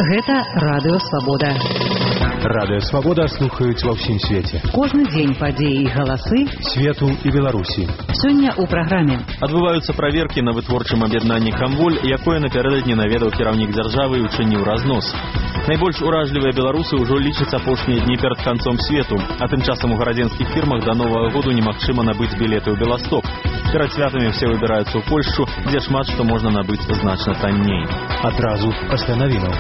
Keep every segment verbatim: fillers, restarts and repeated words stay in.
Гэта Радыё Свабода. Радыё Свабода слухаюць ва ўсім свеце. Кожны дзень падзеі і галасы свету і Беларусі. Сёння ў праграме. Адбываюцца праверкі на вытворчым аб'яднанні «Камволь», якое напярэдадні наведаў кіраўнік дзяржавы і учыніў разнос. Найбольш уражлівыя беларусы ўжо лічаць апошнія дні перад канцом свету, а тым часам у гарадзенскіх фірмах да новага году немагчыма набыць білеты ў Беласток. Перад святамі все выбіраюцца ў Польшчу, дзе шмат што можна набыць значна танней. Адразу пасля навінаў.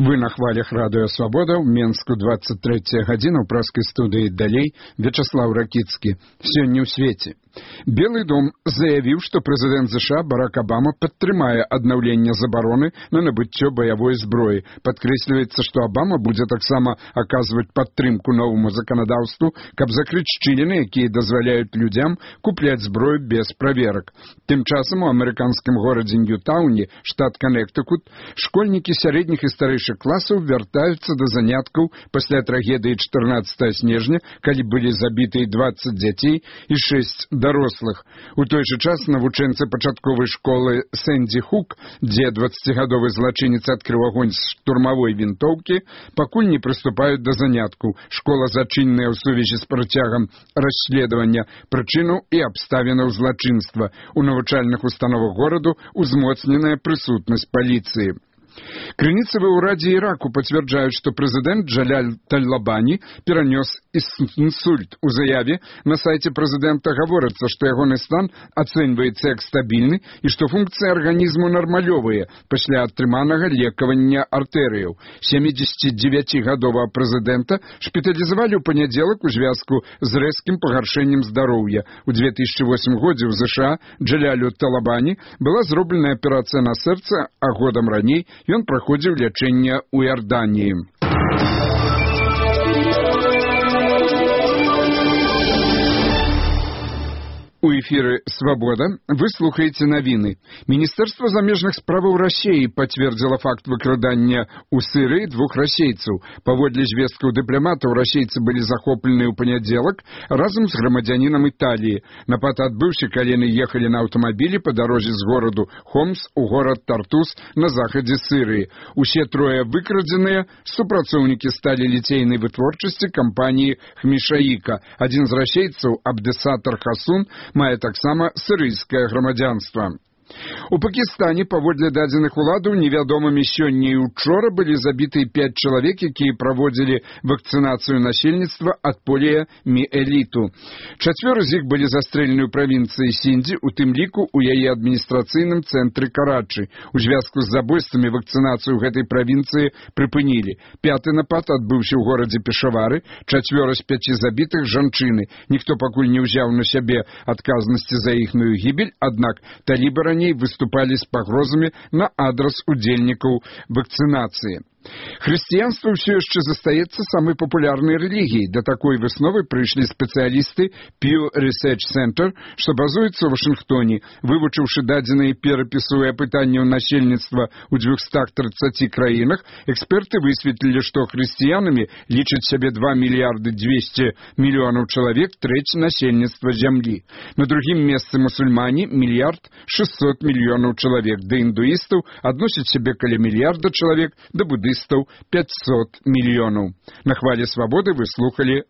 Вы на хвалях Радыё Свабода, ў Менску двадцать третья гадзіна, ў праскай студыі далей Вячаслав Ракіцкі. Сёння ў свеце. Белый дом заявіў, што прэзідэнт ЗША Барак Обама падтрымае аднаўленне забароны на набыццё баявой зброі. Падкрэсліваецца, што Обама будзе таксама аказваць падтрымку новаму заканадаўству, каб закрыць шчыліны, якія дазваляюць людзям купляць зброю без праверак. Тым часам у амерыканскім горадзе Ньютауне, штат Канектыкут, школьнікі сярэдніх і старэйшых класаў вяртаюцца да заняткаў пасля трагедыі чатырнаццатага снежня, калі былі забітыя двадцать дзяцей і шэсць дарослых. У той жа час навучэнцы пачатковай школы Сэнді Хук, дзе дваццацігадовы злачынец адкрыў агонь з штурмавой вінтоўкі, пакуль не прыступаюць да заняткаў. Школа зачыненая ў сувязі з працягам расследавання прычынаў і абставінаў злачынства. У навучальных установах гораду узмоцненая прысутнасць паліцыі. Крыніцы ва ўрадзе Іраку пацвярджаюць, што прэзідэнт Джаляль Талабані перанёс інсульт. У заяве на сайце прэзідэнта гаворыцца, што ягоны стан ацэньваецца як стабільны і што функцыі арганізму нармалёвыя пасля атрыманага лекавання артэрыяў. сямідзесяцідзевяцігадовага прэзідэнта шпіталізавалі ў панядзелак у звязку з рэзкім пагаршэннем здароўя. У две тысячи восьмым годзе ў ЗША Джалялю Талабані была зроблена аперацыя на сэрца, а годам раней ён праходзіў лячэнне ў Іорданіі. У эфіры «Свабода» вы слухаеце навіны. Міністэрства замежных справаў Расіі пацвердзіла факт выкрадання ў Сірыі двух расейцаў. Паводле звесткаў дыпламатаў, расейцы былі захоплены ў панядзелак разам з грамадзянінам Італіі. Напад адбыўся, калі яны ехалі на аўтамабілі па дарозе з гораду Хомс у горад Тартус на захадзе Сірыі. Усе трое выкрадзеныя супрацоўнікі сталі ліцейнай вытворчасці кампаніі Хмішаіка. Адзін з расейцаў, Абдесатар Хасун, мае таксама сірыйскае грамадзянства. У Пакістане, паводле дадзеных уладаў, невядомымі сёння і учора былі забітыя пяць чалавек, якія праводзілі вакцынацыю насельніцтва ад поліяміэліту. Чацвёра з іх былі застрэлены ў правінцыі Сіндзі, у тым ліку ў яе адміністрацыйным цэнтры Карачы. У звязку з забойствамі вакцынацыю ў гэтай правінцыі прыпынілі. Пяты напад адбыўся ў горадзе Пешавары, чацвёра з пяці забітых жанчыны. Ніхто пакуль не ўзяў на сябе адказнасці за іхную гібель, аднак талібы раней выступали с пагрозамі на адрас удзельнікаў вакцынацыі. Хрысціянства ўсё яшчэ застаецца самай папулярнай рэлігіяй. Да такой высновы прыйшлі спецыялісты Pew Research Center, што базуецца ў Вашынгтоне. Вывучыўшы дадзеныя перапісу і апытанняў насельніцтва ў дзвюхстах трыццаці краінах, эксперты высветлілі, што хрысціянамі лічаць сябе два мільярды дзвесце мільёнаў чалавек, трэць насельніцтва зямлі. На другім месцы мусульмане мільярд шэсцьсот мільёнаў чалавек, да індуістаў адносяць сябе каля мільярда чалавек, да будыстаў пятьсот мільёнаў. На хвале свабоды вы слухалі